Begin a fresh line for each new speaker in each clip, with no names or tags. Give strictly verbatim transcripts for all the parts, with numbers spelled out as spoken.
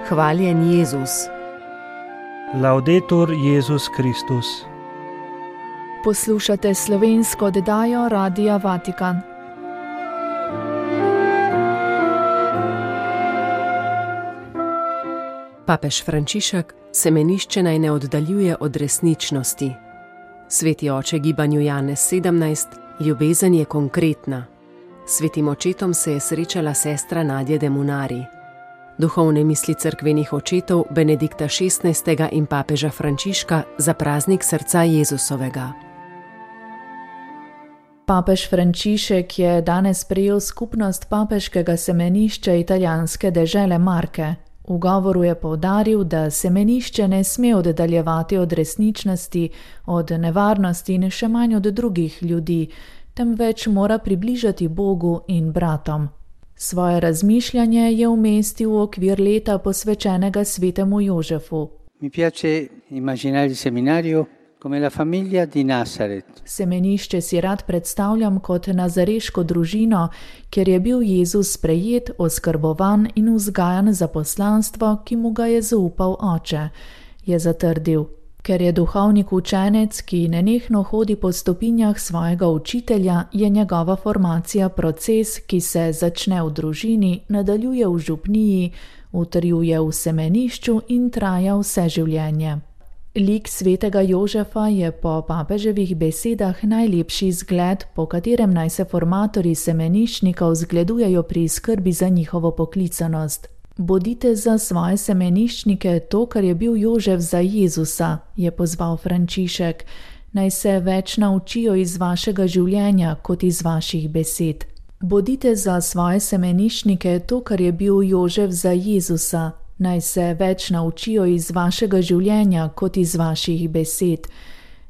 Hvaljen Jezus.
Laudetur Jezus Kristus.
Poslušate slovensko oddajo Radia Vatikan.
Papež Frančišek semenišče naj ne oddaljuje od resničnosti. Sveti oče gibanju Janez sedemnajst, ljubezen je konkretna. Svetim očetom se je srečala sestra Nadja de Munari. Duhovne misli cerkvenih očetov Benedikta šestnajstega in papeža Frančiška za praznik srca Jezusovega.
Papež Frančišek je danes prejel skupnost papeškega semenišča italijanske dežele Marke. V govoru je poudaril, da semenišče ne sme oddaljevati od resničnosti, od nevarnosti in še manj od drugih ljudi, temveč mora približati Bogu in bratom. Svoje razmišljanje je umestil v okvir leta posvečenega svetemu Jožefu.
Mi piace immaginare il seminario come la famiglia di Nazaret.
Semenišče si rad predstavljam kot nazareško družino, kjer je bil Jezus sprejet, oskrbovan in vzgajan za poslanstvo, ki mu ga je zaupal oče, je zatrdil. Ker je duhovnik učenec, ki nenehno hodi po stopinjah svojega učitelja, je njegova formacija proces, ki se začne v družini, nadaljuje v župniji, utrjuje v semenišču in traja vse življenje. Lik svetega Jožefa je po papeževih besedah najlepši zgled, po katerem naj se formatorji semeniščnikov zgledujejo pri skrbi za njihovo poklicanost. Bodite za svoje semeniščnike to, kar je bil Jožef za Jezusa, je pozval Frančišek. Naj se več naučijo iz vašega življenja kot iz vaših besed. Bodite za svoje semeniščnike to, kar je bil Jožef za Jezusa. Naj se več naučijo iz vašega življenja kot iz vaših besed,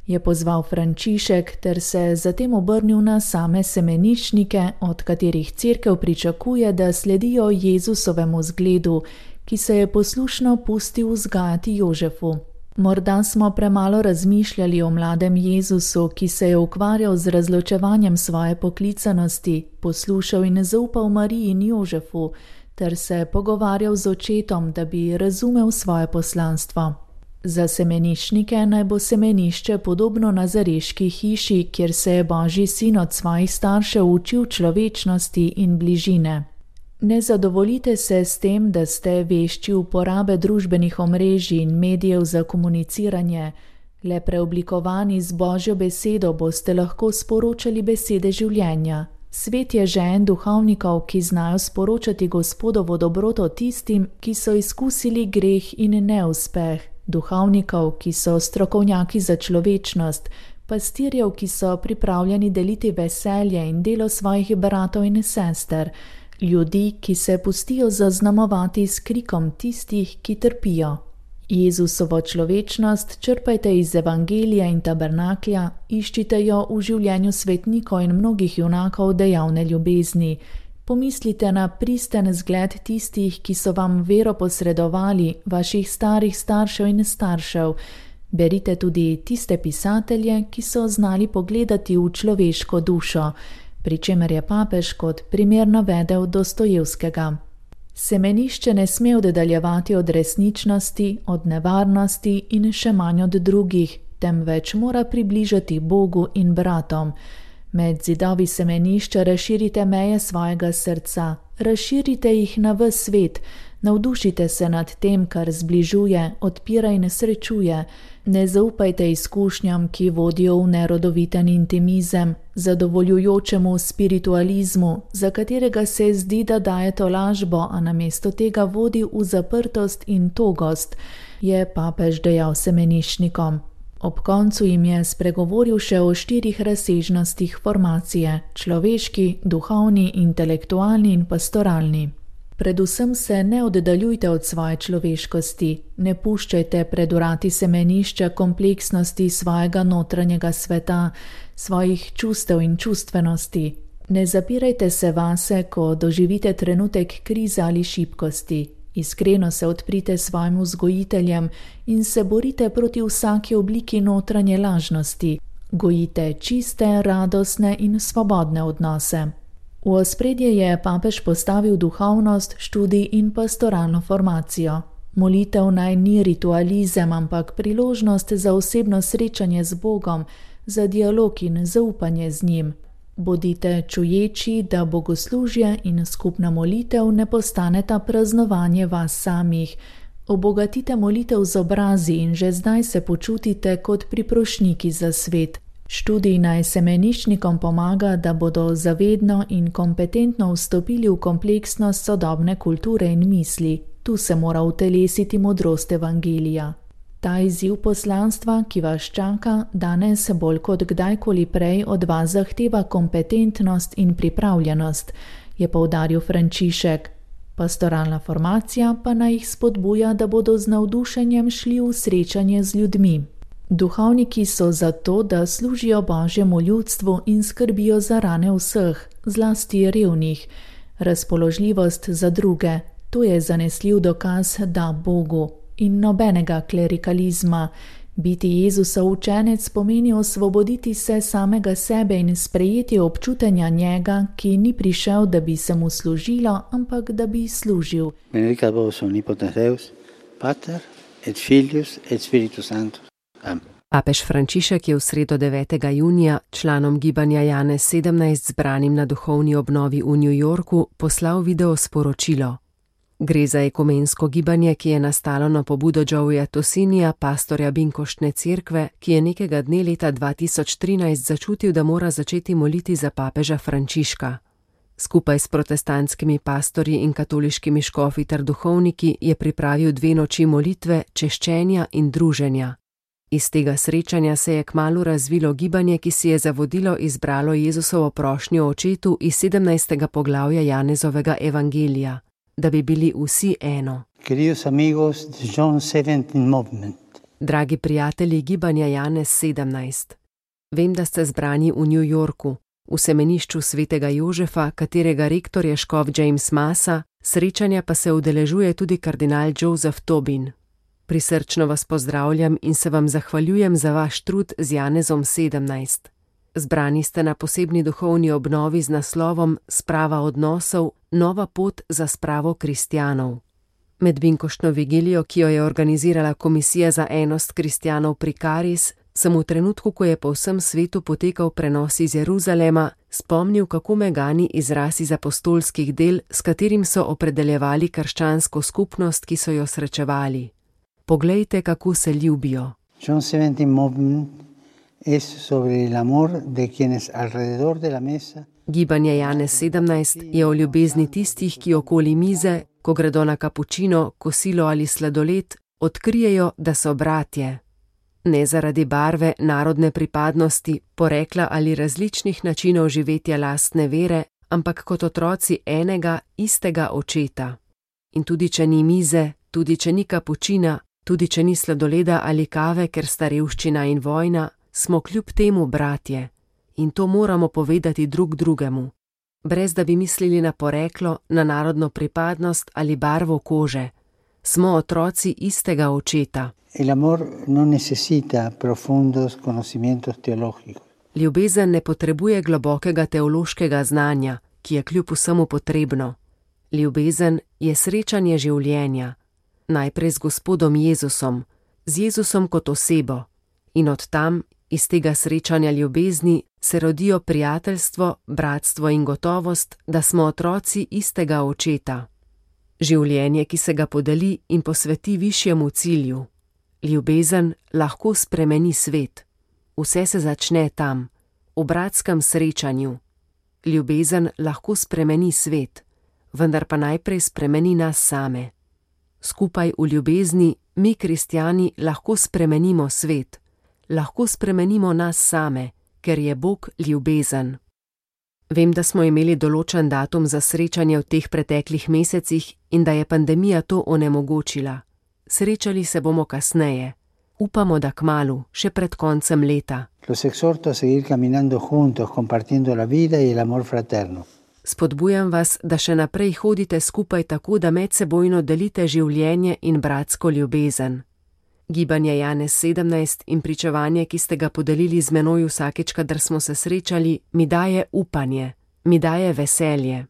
je pozval Frančišek ter se zatem obrnil na same semeniščnike, od katerih cerkev pričakuje, da sledijo Jezusovemu zgledu, ki se je poslušno pustil vzgajati Jožefu. Morda smo premalo razmišljali o mladem Jezusu, ki se je ukvarjal z razločevanjem svoje poklicanosti, poslušal in zaupal Mariji in Jožefu, ter se pogovarjal z očetom, da bi razumel svoje poslanstvo. Za semeniščnike naj bo semenišče podobno nazareški hiši, kjer se je Božji sin od svojih staršev učil človečnosti in bližine. Ne zadovoljite se s tem, da ste vešči uporabe družbenih omrežij in medijev za komuniciranje. Le preoblikovani z Božjo besedo boste lahko sporočali besede življenja. Svet je žen duhovnikov, ki znajo sporočati Gospodovo dobroto tistim, ki so izkusili greh in neuspeh, duhovnikov, ki so strokovnjaki za človečnost, pastirjev, ki so pripravljeni deliti veselje in delo svojih bratov in sester, ljudi, ki se pustijo zaznamovati s krikom tistih, ki trpijo. Jezusovo človečnost črpajte iz evangelija in tabernaklja, iščite jo v življenju svetnikov in mnogih junakov dejavne ljubezni. Pomislite na pristen zgled tistih, ki so vam vero posredovali, vaših starih staršev in staršev. Berite tudi tiste pisatelje, ki so znali pogledati v človeško dušo, pri čemer je papež kot primer navedel Dostojevskega. Semenišče ne sme oddaljevati od resničnosti, od nevarnosti in še manj od drugih, temveč mora približati Bogu in bratom. Med zidovi semenišča razširite meje svojega srca, razširite jih na ves svet, navdušite se nad tem, kar zbližuje, odpira in srečuje. Ne zaupajte izkušnjam, ki vodijo v nerodoviten intimizem, zadovoljujočemu spiritualizmu, za katerega se zdi, da daje tolažbo, a namesto tega vodi v zaprtost in togost, je papež dejal semeniščnikom. Ob koncu jim je spregovoril še o štirih razsežnostih formacije: človeški, duhovni, intelektualni in pastoralni. Predvsem se ne oddaljujte od svoje človeškosti, ne puščajte pred vrati semenišča kompleksnosti svojega notranjega sveta, svojih čustev in čustvenosti. Ne zapirajte se vase, ko doživite trenutek krize ali šibkosti. Iskreno se odprite svojim vzgojiteljem in se borite proti vsaki obliki notranje lažnosti. Gojite čiste, radostne in svobodne odnose. V ospredje je papež postavil duhovnost, študij in pastoralno formacijo. Molitev naj ni ritualizem, ampak priložnost za osebno srečanje z Bogom, za dialog in zaupanje z njim. Bodite čuječi, da bogoslužje in skupna molitev ne postaneta praznovanje vas samih. Obogatite molitev z obrazi in že zdaj se počutite kot priprošniki za svet. Študij naj semeniščnikom pomaga, da bodo zavedno in kompetentno vstopili v kompleksnost sodobne kulture in misli. Tu se mora utelesiti modrost evangelija. Ta izziv poslanstva, ki vas čaka, danes bolj kot kdajkoli prej od vas zahteva kompetentnost in pripravljenost, je poudaril Frančišek. Pastoralna formacija pa naj jih spodbuja, da bodo z navdušenjem šli v srečanje z ljudmi. Duhovniki so zato, da služijo Božjemu ljudstvu in skrbijo za rane vseh, zlasti revnih. Razpoložljivost za druge, to je zanesljiv dokaz, da Bogu. In nobenega klerikalizma. Biti Jezusov učenec pomeni osvoboditi se samega sebe in sprejeti občutenja njega, ki ni prišel, da bi se mu služilo, ampak da bi služil.
Benedicat vos omnipotens Deus, Pater et Filius et Spiritus Sanctus. Amen.
Papež Frančišek je v sredo devetega junija članom gibanja Janez sedemnajst zbranim na duhovni obnovi v New Yorku poslal video sporočilo. Gre za ekumensko gibanje, ki je nastalo na pobudo Joeya Tosinija, pastorja Binkoštne cerkve, ki je nekega dne leta dva tisoč trinajst začutil, da mora začeti moliti za papeža Frančiška. Skupaj s protestantskimi pastorji in katoliškimi škofi ter duhovniki je pripravil dve noči molitve, češčenja in druženja. Iz tega srečanja se je kmalu razvilo gibanje, ki si je za vodilo izbralo Jezusovo prošnjo očetu iz sedemnajstega poglavja Janezovega evangelija. Da bi bili vsi eno.
Amigos, John
Dragi prijatelji gibanja Janez sedemnajst, vem, da ste zbrani v New Yorku, v semenišču svetega Jožefa, katerega rektor je škof James Massa, srečanja pa se udeležuje tudi kardinal Joseph Tobin. Prisrčno vas pozdravljam in se vam zahvaljujem za vaš trud z Janezom sedemnajst. Zbrani ste na posebni duhovni obnovi z naslovom Sprava odnosov, nova pot za spravo kristjanov. Med binkoštno vigilijo, ki jo je organizirala Komisija za enost kristjanov pri Karis, sem v trenutku, ko je po vsem svetu potekal prenos iz Jeruzalema, spomnil, kako me gani izraz iz apostolskih del, s katerim so opredeljevali krščansko skupnost, ki so jo srečevali. Poglejte, kako se ljubijo.
John sedemnajst movement es sobre el amor de quienes alrededor de la mesa.
Gibanje Janez sedemnajst je o ljubezni tistih, ki okoli mize, ko gredo na kapučino, kosilo ali sladoled, odkrijejo, da so bratje. Ne zaradi barve, narodne pripadnosti, porekla ali različnih načinov živetja lastne vere, ampak kot otroci enega, istega očeta. In tudi če ni mize, tudi če ni kapučina, tudi če ni sladoleda ali kave, ker sta revščina in vojna, smo kljub temu bratje. In to moramo povedati drug drugemu, brez da bi mislili na poreklo, na narodno pripadnost ali barvo kože. Smo otroci istega očeta.
El amor no necesita profundos conocimientos teológicos.
Ljubezen ne potrebuje globokega teološkega znanja, ki je kljub vsemu potrebno. Ljubezen je srečanje življenja, najprej z Gospodom Jezusom, z Jezusom kot osebo, in od tam, iz tega srečanja ljubezni, se rodijo prijateljstvo, bratstvo in gotovost, da smo otroci istega očeta. Življenje, ki se ga podeli in posveti višjemu cilju. Ljubezen lahko spremeni svet. Vse se začne tam, v bratskem srečanju. Ljubezen lahko spremeni svet, vendar pa najprej spremeni nas same. Skupaj v ljubezni mi, kristjani, lahko spremenimo svet. Lahko spremenimo nas same, ker je Bog ljubezen. Vem, da smo imeli določen datum za srečanje v teh preteklih mesecih in da je pandemija to onemogočila. Srečali se bomo kasneje. Upamo, da kmalu, še pred koncem leta.
Los exhorto a seguir caminando juntos, compartiendo la vida y el amor fraterno.
Spodbujam vas, da še naprej hodite skupaj tako, da medsebojno delite življenje in bratsko ljubezen. Gibanje Janez sedemnajst in pričevanje, ki ste ga podelili z menoj vsakič, kadar smo se srečali, mi daje upanje, mi daje veselje.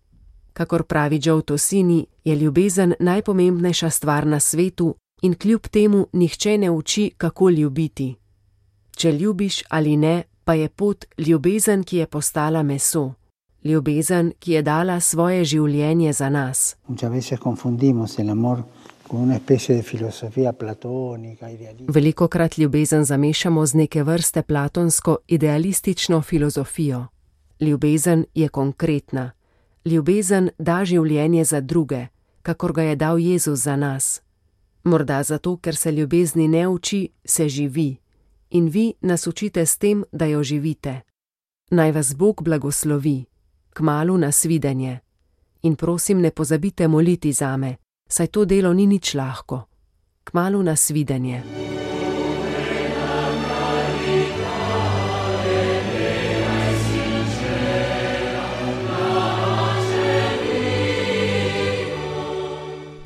Kakor pravi Joe Tosini, je ljubezen najpomembnejša stvar na svetu in kljub temu nihče ne uči, kako ljubiti. Če ljubiš ali ne, pa je pot ljubezen, ki je postala meso. Ljubezen, ki je dala svoje življenje za nas. Velikokrat ljubezen zamešamo z neke vrste platonsko idealistično filozofijo. Ljubezen je konkretna. Ljubezen da življenje za druge, kakor ga je dal Jezus za nas. Morda zato, ker se ljubezni ne uči, se živi. In vi nas učite s tem, da jo živite. Naj vas Bog blagoslovi. Kmalu nasvidenje. In prosim, ne pozabite moliti zame, saj to delo ni nič lahko. Kmalu nasvidenje.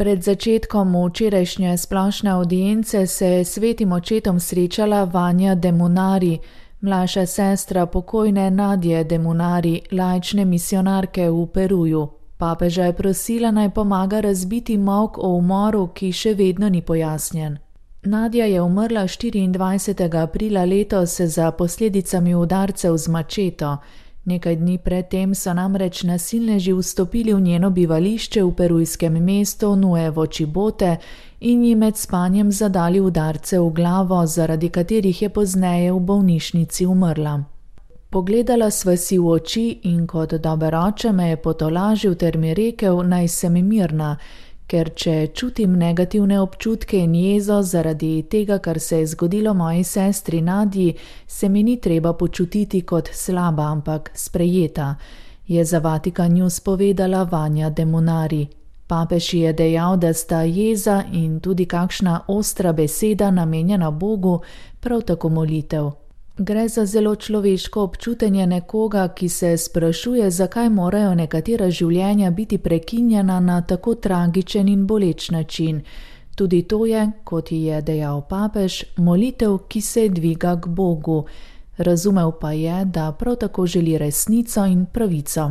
Pred začetkom včerajšnje splošne avdience se je s svetim očetom srečala Vanja de Munari, mlajša sestra pokojne Nadje de Munari, laične misionarke v Peruju. Papeža je prosila, naj pomaga razbiti molk o umoru, ki še vedno ni pojasnjen. Nadja je umrla štiriindvajsetega aprila letos za posledicami udarcev z mačeto. Nekaj dni predtem so namreč nasilneži vstopili v njeno bivališče v perujskem mestu Nuevo Chibote in ji med spanjem zadali udarce v glavo, zaradi katerih je pozneje v bolnišnici umrla. Pogledala sva si v oči in kot dober oče me je potolažil ter mi rekel, naj sem mirna, ker če čutim negativne občutke in jezo zaradi tega, kar se je zgodilo moji sestri Nadji, se mi ni treba počutiti kot slaba, ampak sprejeta, je za Vatikan News povedala Vanja de Munari. Papež je dejal, da sta jeza in tudi kakšna ostra beseda namenjena Bogu, prav tako molitev. Gre za zelo človeško občutenje nekoga, ki se sprašuje, zakaj morajo nekatera življenja biti prekinjena na tako tragičen in boleč način. Tudi to je, kot je dejal papež, molitev, ki se dviga k Bogu. Razumel pa je, da prav tako želi resnico in pravico.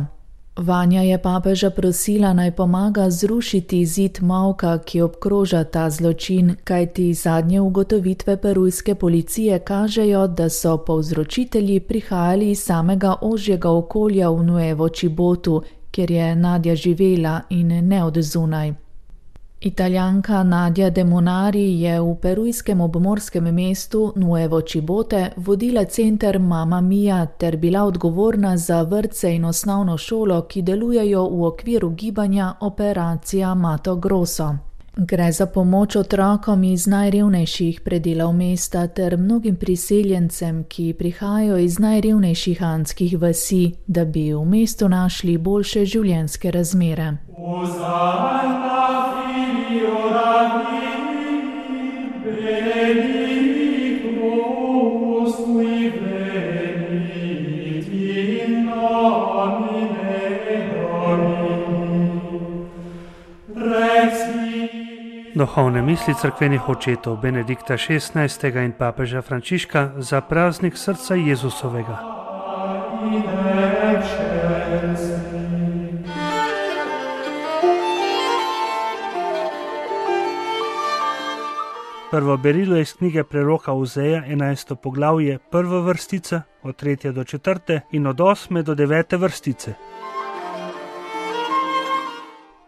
Vanja je papeža prosila, naj pomaga zrušiti zid molka, ki obkroža ta zločin, kajti zadnje ugotovitve perujske policije kažejo, da so povzročitelji prihajali iz samega ožjega okolja v Nuevo Chibotu, kjer je Nadja živela in ne od zunaj. Italijanka Nadja de Munari je v perujskem obmorskem mestu Nuevo Chibote vodila center Mamma Mia ter bila odgovorna za vrtce in osnovno šolo, ki delujejo v okviru gibanja Operacija Mato Grosso. Gre za pomoč otrokom iz najrevnejših predelov mesta ter mnogim priseljencem, ki prihajajo iz najrevnejših andskih vasi, da bi v mestu našli boljše življenjske razmere.
Duhovne misli cerkvenih očetov Benedikta šestnajstega in papeža Frančiška za praznik srca Jezusovega. Prvo berilo iz knjige preroka Ozeja, enajsto poglavje, prva vrstica, od tretje do četrte in od osme do devete vrstice.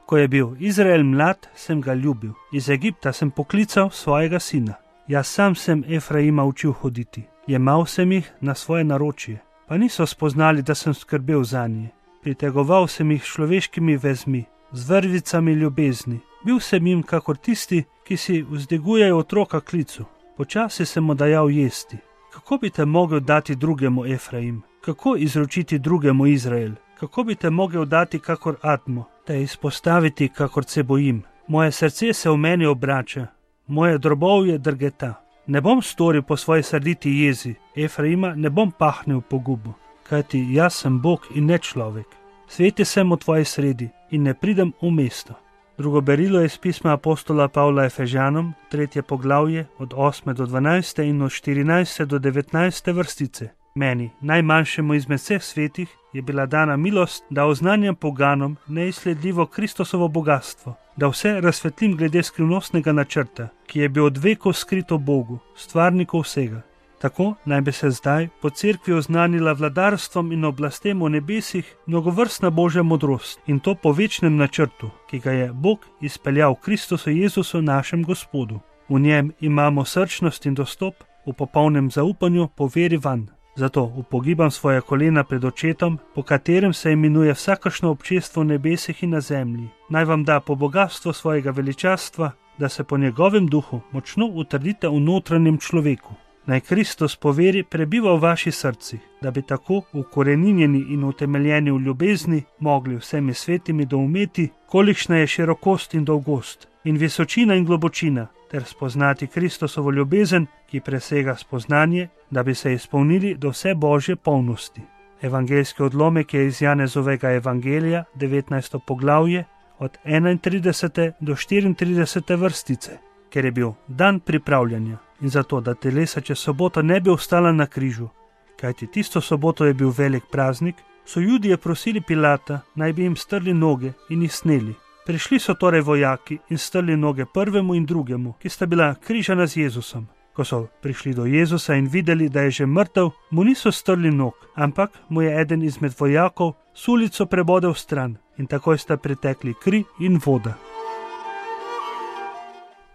Ko je bil Izrael mlad, sem ga ljubil. Iz Egipta sem poklical svojega sina. Jaz sam sem Efraima učil hoditi. Jemal sem jih na svoje naročje, pa niso spoznali, da sem skrbel zanje. Pritegoval sem jih človeškimi vezmi, z vrvicami ljubezni. Bil sem jim kakor tisti, ki si vzdigujejo otroka klicu. Počasi sem mu dajal jesti. Kako bi te mogel dati drugemu Efraim? Kako izročiti drugemu Izrael? Kako bi te mogel dati kakor Admo? Te izpostaviti, kakor se bojim. Moje srce se v meni obrača, moje drobovje drgeta. Ne bom storil po svoji srditi jezi, Efraima ne bom pahnil po gubu, kajti jaz sem Bog in ne človek. Sveti sem v tvoji sredi in ne pridem v mesto. Drugo berilo je iz pisma apostola Pavla Efežanom, tretje poglavje, od osme do dvanajste in od štirinajste do devetnajste vrstice. Meni, najmanjšemu izmed vseh svetih, je bila dana milost, da oznanjam poganom neizsledljivo Kristusovo bogatstvo, da vse razsvetlim glede skrivnostnega načrta, ki je bil od vekov skrit v Bogu, stvarniku vsega. Tako naj bi se zdaj po cerkvi oznanila vladarstvom in oblastem v nebesih mnogovrstna Božja modrost, in to po večnem načrtu, ki ga je Bog izpeljal v Kristusu Jezusu našem Gospodu. V njem imamo srčnost in dostop v popolnem zaupanju po veri vanj. Zato upogibam svoje kolena pred očetom, po katerem se imenuje vsakršno občestvo v nebesih in na zemlji. Naj vam da po bogatstvu svojega veličastva, da se po njegovem duhu močno utrdite v notranjem človeku. Naj Kristus po veri prebiva v vaših srcih, da bi tako ukoreninjeni in utemeljeni v ljubezni mogli vsemi svetimi doumeti, kolikšna je širokost in dolgost, in visočina in globočina, ter spoznati Kristusovo ljubezen, ki presega spoznanje, da bi se izpolnili do vse Božje polnosti. Evangeljski odlomek je iz Janezovega evangelija, devetnajsto poglavje, od enaintridesete do štiriintridesete vrstice, ker je bil dan pripravljanja in zato, da telesa čez soboto ne bi ostala na križu, kajti tisto soboto je bil velik praznik, so Judije prosili Pilata, naj bi jim strli noge in jih sneli. Prišli so torej vojaki in strli noge prvemu in drugemu, ki sta bila križana z Jezusom. Ko so prišli do Jezusa in videli, da je že mrtev, mu niso strli nog, ampak mu je eden izmed vojakov sulico prebodel stran in takoj sta pritekli kri in voda.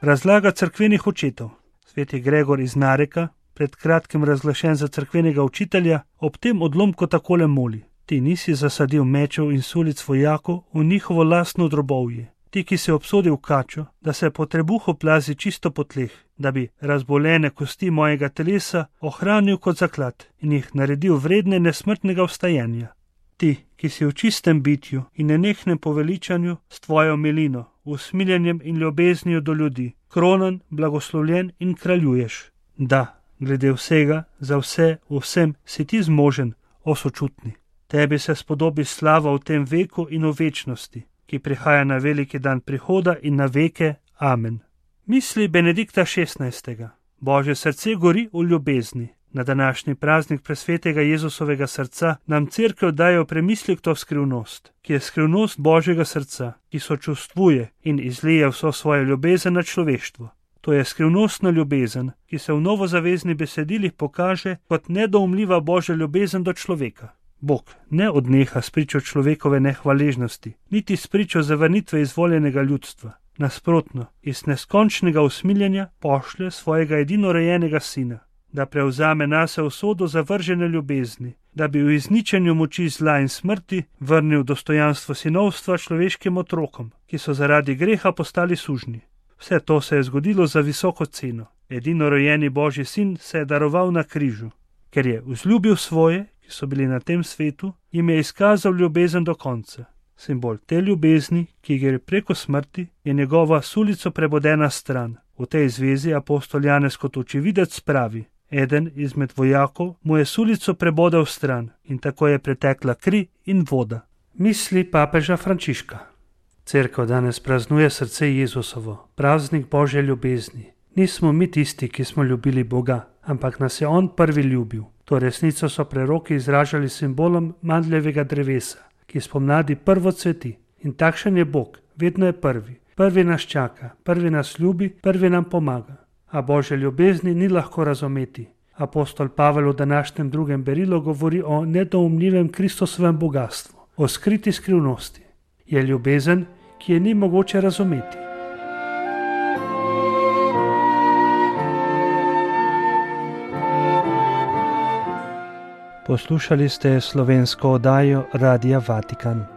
Razlaga cerkvenih očetov. Sveti Gregor iz Nareka, pred kratkim razglašen za cerkvenega učitelja, ob tem odlomku takole moli: Ti nisi zasadil mečev in sulic vojakov v njihovo lastno drobovje. Ti, ki si obsodil kačo, da se po trebuhu plazi čisto po tleh, da bi razbolene kosti mojega telesa ohranil kot zaklad in jih naredil vredne nesmrtnega vstajanja. Ti, ki si v čistem bitju in nenehnem poveličanju s tvojo milino, usmiljenjem in ljubeznijo do ljudi, kronan, blagoslovljen in kraljuješ. Da, glede vsega, za vse, v vsem si ti zmožen, o sočutni. Tebi se spodobi slava v tem veku in v večnosti, ki prihaja na veliki dan prihoda in na veke. Amen. Misli Benedikta šestnajstega. Božje srce gori v ljubezni. Na današnji praznik presvetega Jezusovega srca nam cerkev daje v premislek to skrivnost, ki je skrivnost Božjega srca, ki sočustvuje in izlije vso svojo ljubezen na človeštvo. To je skrivnostna ljubezen, ki se v novozaveznih besedilih pokaže kot nedoumljiva Božja ljubezen do človeka. Bog ne odneha s pričo človekove nehvaležnosti, niti s pričo zavrnitve izvoljenega ljudstva. Nasprotno, iz neskončnega usmiljenja pošlje svojega edinorojenega sina, da prevzame nase usodo zavržene ljubezni, da bi v izničenju moči zla in smrti vrnil dostojanstvo sinovstva človeškim otrokom, ki so zaradi greha postali sužnji. Vse to se je zgodilo za visoko ceno. Edinorojeni Božji sin se je daroval na križu, ker je vzljubil svoje, ki so bili na tem svetu, jim je izkazal ljubezen do konca. Simbol te ljubezni, ki gre preko smrti, je njegova sulico prebodena stran. V tej zvezi apostol Janez kot očividec pravi: eden izmed vojakov mu je sulico prebodel stran in tako je pretekla kri in voda. Misli papeža Frančiška. Cerkev danes praznuje srce Jezusovo, praznik Božje ljubezni. Nismo mi tisti, ki smo ljubili Boga, ampak nas je On prvi ljubil. To resnico so preroki izražali simbolom mandljevega drevesa, ki spomladi prvo cveti. In takšen je Bog, vedno je prvi. Prvi nas čaka, prvi nas ljubi, prvi nam pomaga. A Božje ljubezni ni lahko razumeti. Apostol Pavel v današnjem drugem berilu govori o nedoumljivem Kristusovem bogatstvu, o skriti skrivnosti. Je ljubezen, ki je ni mogoče razumeti. Poslušali ste slovensko oddajo Radia Vatikan.